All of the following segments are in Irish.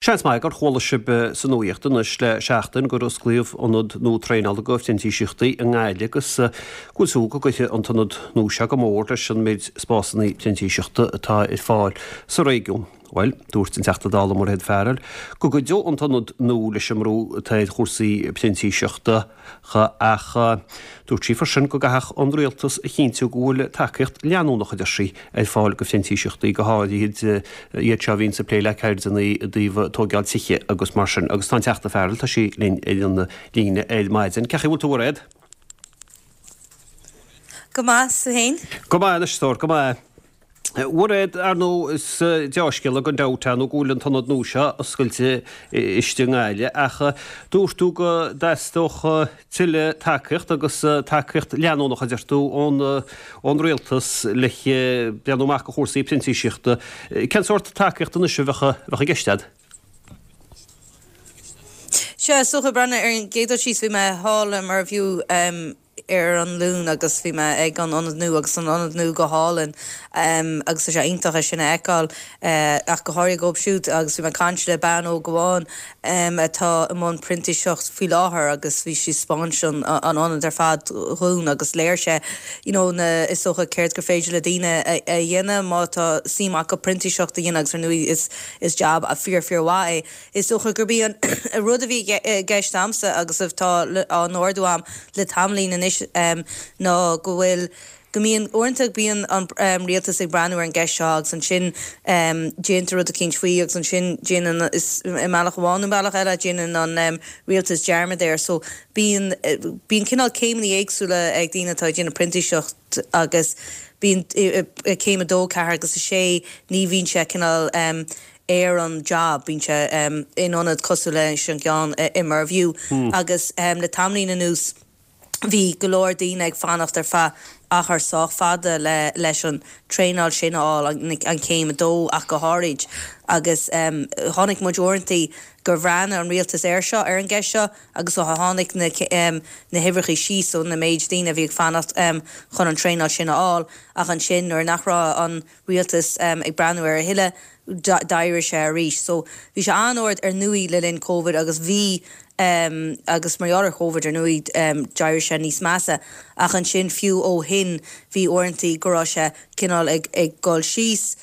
Seans maith gur chuala sibh sa nuaíocht anois le seachtain gur osclaíodh ionad nua traenála do phrintíseachtaí i nGaillimh agus go bhfuil súil go gcuirfidh an t-ionad nua seo go mór leis an méid spásanna printíseachta atá ar fáil sa réigiún. Bhuel, dúirt an Teachta Dála Mairéad Farrell go gcuideodh an t-ionad nua leis an mbrú atá ar chúrsaí printíseachta. Ach dúirt sí freisin go gcaithfeadh an Rialtas a chinntiú go bhfuil tacaíocht leanúnach, a deir sí, ar fáil do phrintíseachtaí, go háirithe iad seo a bhíonns ag plé le ceirdeanna i dtaobh tóigeáil tithe agus mar sin. Agus tá an Teachta Farrell, tá sí linn ar an líne ar maidin. Cén chaoi a bhfuil tú, a Mhairéad? Go maith, 's tú fhéin? Go maith anois, a stór, go maith. A Mhairéad, ar ndóigh, is deá-scéala gan dabht é nó go bhfuil an t-ionad nua seo oscailte istigh i nGaillimh ach dúirt tú go dteastódh tuilleadh tacaíocht agus tacaíocht leanúnach, a deir tú, ón Rialtas le breathnú amach do chúrsaí printíseachta. Cén sórt tacaíocht anois a bheadh i gceist agat? Sea, is dócha, breathnú ar an gcéad dul síos, bhí mé thall i Mervue ar an Luan agus bhí mé ag an ionad nua agus an ionad nua go hálainn agus tá sé iontach é sin a fheiceáil ach go háirithe dhóibh siúd agus bhí mé ag caint le bean óg amháin atá i mbun printíseacht faoi láthair agus bhí sí ag 'spáint an ionad ar fad dhúinn agus léirigh sé you know na is dócha céard gur féidir le daoine a dhéanamh má tá suim acu printíseacht a dhéanamh agus ar ndóigh is is jab fíor fíor mhaith é. Is dócha gurb í an rud a bhí i gceist a'msa agus atá á n-ardú a'm le tamaillín anois ná go bhfuil, go mbíonn, uaireanta bíonn an rialtas ag breathnú ar an gceist seo agus ansin déantar rud eicínt faoi agus ansin déanann, i mbealach amháin nó bealach eile, déanann an rialtas dearmad air. So bíonn, bíonn cineál céimeanna éagsúla ag daoine atá ag déanamh printíseacht agus bíonn céim a dó, ceathair agus a sé, ní bhíonn sé cineál ar an job, bíonn sé in ionad cosúil leis an gceann i Mervue agus le tamaillín anuas bhí go leor daoine ag fanacht ar feadh achar sách fada le leis an traenáil sin a fháil, an chéim a dó ach go háirid agus chonaic muid uaireantaí gur bhreathnaigh an rialtas air seo, ar an gceist seo agus ó tháinig na na huimhreachaí síos ó na méid daoine a bhí ag fanacht chun an traenáil sin a fháil ach ansin nuair nach raibh an rialtas ag breathnú air a thuilleadh, d'éirigh sé arís. So, bhí sé an-ard ar ndóigh le linn Covid agus bhí agus mar gheall ar Covid ar ndóigh d'éirigh sé níos measa. Ach ansin fiú ó shin bhí uaireantaí go raibh sé cineál ag ag dul síos,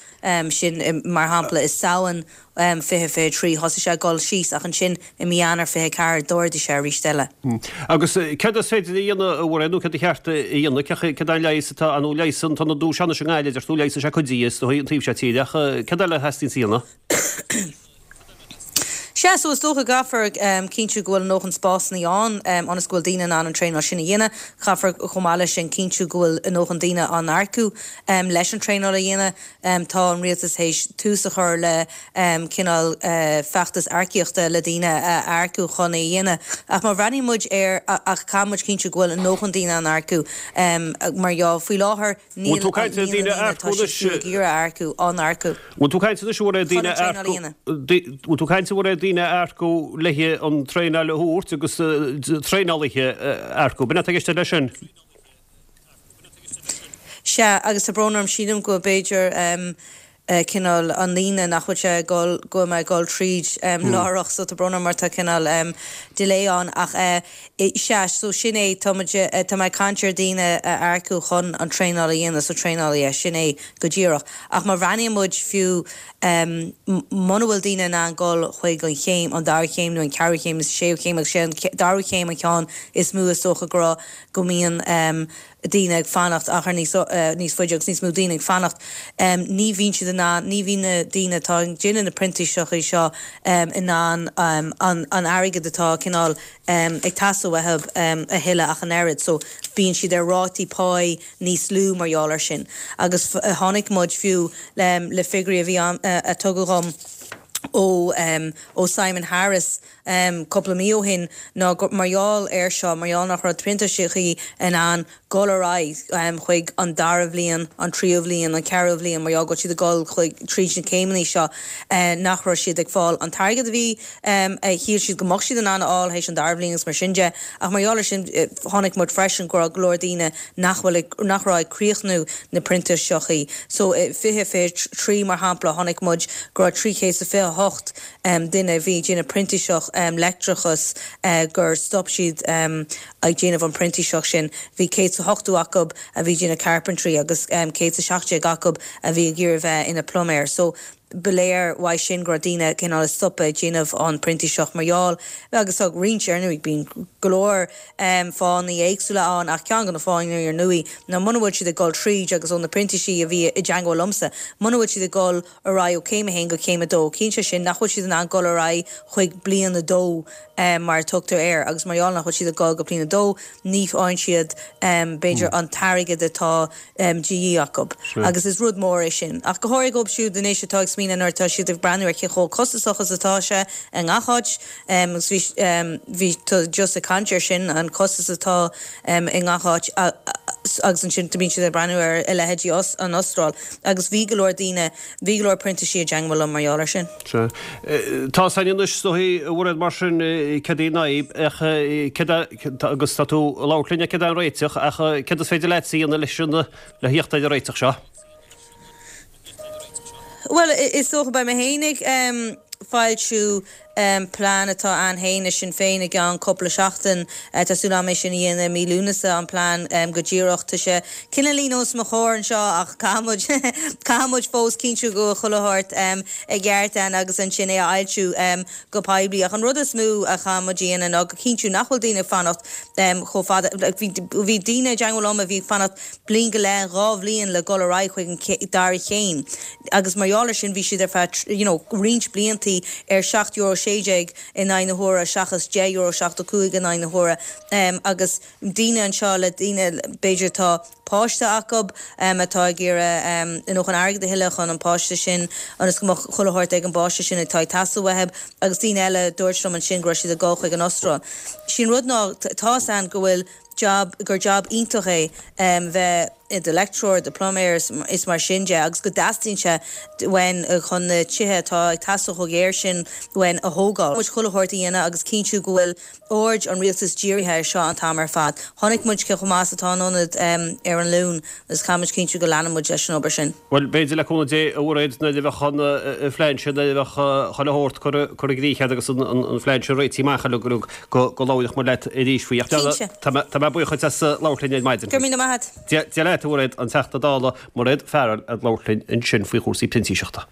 sin mar shampla i Samhain 2023 thosaigh sé ag dul síos ach ansin i mí Eanáir 24 d'ardaigh sé arís eile. Agus céard is féidir a dhéanamh, a Mhairéad, nó céard ba cheart a dhéanamh, céard é an leigheas atá ann, nó leigheas an t-ionad nua seo anois i nGaillimh, a deir tú, leigheasfaidh sé cuid de, is dóigh, an taobh seo tíre, ach céard eile a theastaíonns a dhéanamh? Sea, so is dócha go gcaithfear cinntiú go bhfuil a ndóthain spásanna ann ionas go bhfuil daoine in ann an traenáil sin a dhéanamh. Caithfear chomh maith leis sin cinntiú go bhfuil a ndóthain daoine á n-earcú leis an traenáil a dhéanamh. Tá an rialtas théis tús a chur le cineál feachtas earcaíochta le daoine a earcú chun é a dhéanamh. Ach má bhreathnaíonn muid air, ach caithfidh muid cinntiú go bhfuil a ndóthain daoine á n-earcú mar gheall faoi láthair níl an líon daoine atá siad fiú ag iarraidh a earcú á n-earcú Bhfuil tú ag caint anois ar daoine a earcú Bhfuil tú ag caint ar daoine a earcú le an traenáil a thabhairt agus traenálaithe a earcú. B'in atá i gceist leis sin? Sea, agus tá brón orm, sílim go b'fhéidir cineál an líne nach bhfuil sé ag dul, go bhfuil mé ag dul tríd láithreach, so tá brón orm mar tá cineál delay ann ach sea, so sin é, tá muid, tá mé ag caint ar daoine a earcú chun an traenáil a dhéanamh, so traenálaithe, sin é go díreach. Ach má bhreathnaíonn muid fiú muna bhfuil daoine in ann dul chuig an chéim, an dara chéim nó an ceathrú chéim nó sa séú chéim agus sé an dara chéim an ceann is mó is dócha go raibh go mbíonn daoine ag fanacht achar níos níos faide agus níos mó daoine ag fanacht. Ní bhíonn siad in ann, ní bhíonn na daoine atá ag déanamh na printíseachtaí seo in ann an an airgead atá cineál ag teastáil uathu a thuilleadh ach an oiread. So bíonn siad ar rátaí páí níos lú mar gheall air sin. Agus chonaic muid fiú le figiúirí a bhí ann a tugadh dhom ó ó Simon Harris, cúpla mí ó shin ná gur mar gheall air seo, mar gheall nach raibh printísigh in ann dul ar aghaidh chuig an dara bhliain, an tríú bhliain, an ceathrú bhliain, mar gheall go bhfuil siad ag dul chuig, tríd na céimeanna seo, nach raibh siad ag fáil an t-airgead a bhí, a shíl siad go mbeadh siad in ann a fháil théis an dara bhliain agus mar sin de. Ach mar gheall air sin, chonaic muid freisin go raibh go leor daoine nach bhfuil ag, nach raibh ag críochnú na printíseachtaí. So, i 2023, mar shampla, chonaic muid go raibh 328. 108 duine a bhí ag déanamh printíseach leictreachas gur stop siad ag déanamh an printíseach sin. Bhí 180 acu a bhí ag déanamh carpentry agus 117 acu a bhí ag iarraidh bheith ina pluiméir. So ba léir uaidh sin go raibh daoine cineál ag stopadh ag déanamh an printíseach mar gheall agus tá roinnt ar ndóigh bíonn go leor fáthanna éagsúla ann ach ceann de na fáthanna ar ndóigh ná muna bhfuil siad ag dul tríd agus ó na printísigh a bhí i dteangmháil liomsa muna bhfuil siad ag dul ar aghaidh ó céim a haon go céim a dó. Ciallaíonn sé sin nach bhfuil siad in ann dul ar aghaidh chuig bliain a dó mar a tugtar air agus mar gheall nach bhfuil siad ag dul go bliain a dó ní fhaigheann siad b'fhéidir an t-airgead atá de dhíth acu agus is rud mór é sin. Ach go háirithe dóibh siúd anois atá ag smaoineamh nuair atá siad ag breathnú ar cé chomh costasach is atá sé i ngach áit agus bhí bhí tú just ag caint air sin an costas atá i ngach áit agus ansin bíonn siad ag breathnú ar a leithéidí an Astráil agus bhí go leor daoine, bhí go leor printísigh i dteangmháil liom mar gheall air sin. Sea. Tá 's againn anois is dóigh, a Mhairéad, mar sin, céard í an fhadhb ach céard é, agus tá tú ag labhairt linn ar céard é an réiteach ach céard is féidir leatsa a dhéanamh leis an, le theacht ar an réiteach seo? Bhuel, is dócha, beidh mé féin ag foilsiú plean atá a'inn féin i Sinn Féin i gceann cúpla seachtain. Tá súil a'm é sin a dhéanamh i mí Lúnasa, an plean go díreach. Tá sé cineáilín os mo chomhair anseo ach caithfidh muid, caithfidh muid fós cinntiú go bhfuil chuile shórt i gceart ann agus ansin é a fhoilsiú go poiblí. Ach an rud is mó a chaithfidh muid a dhéanamh ná go cinntiú nach bhfuil daoine ag fanacht chomh fada. Bhí daoine i dteangmháil liom a bhí ag fanacht bliain go leith, 2 bhliain le dul ar aghaidh chuig an dara chéim agus mar gheall ar sin bhí siad ar feadh you know roinnt bliantaí ar €7.16 in aghaidh na huaire seachas €10.75 in aghaidh na huaire agus daoine anseo le daoine b'fhéidir atá páiste acu atá ag iarraidh you know chun airgead a thuilleadh chun an páiste sin ionas go mbeadh chuile shórt ag an bpáiste sin atá ag teastáil uathu agus daoine eile a dúirt liom ansin go raibh siad ag dul chuig an Astráil. Sé an rud ná tá's a'inn go bhfuil job, gur job iontach é bheith i do leictreoir, do pluiméir is mar sin de agus go dteastaíonn sé uainn chun na tithe atá ag teastáil chomh géar sin uainn a thógáil. Muid chuile shórt a dhéanamh agus cinntiú go bhfuil aird an rialtais dírithe ar seo an t-am ar fad. Chonaic muid cé chomh maith is atá an ionad ar an Luan agus caithfidh muid cinntiú go leanann muid leis an obair sin. Bhuel, b'fhéidir le cúnamh Dé, a Mhairéad, nuair a bheadh an phlean sin, nuair a bheadh chuile shórt curtha i gcrích agat agus an phlean sin réitithe amach uilig go labhróidh muid leat arís faoi. Ach tá mé buíoch duit as labhairt linn ar maidin. Go raibh míle maith agat. Dia leat, a Mhairéad, an Teachta Dála Mairéad Farrell ag labhairt linn ansin faoi chúrsaí printíseachta.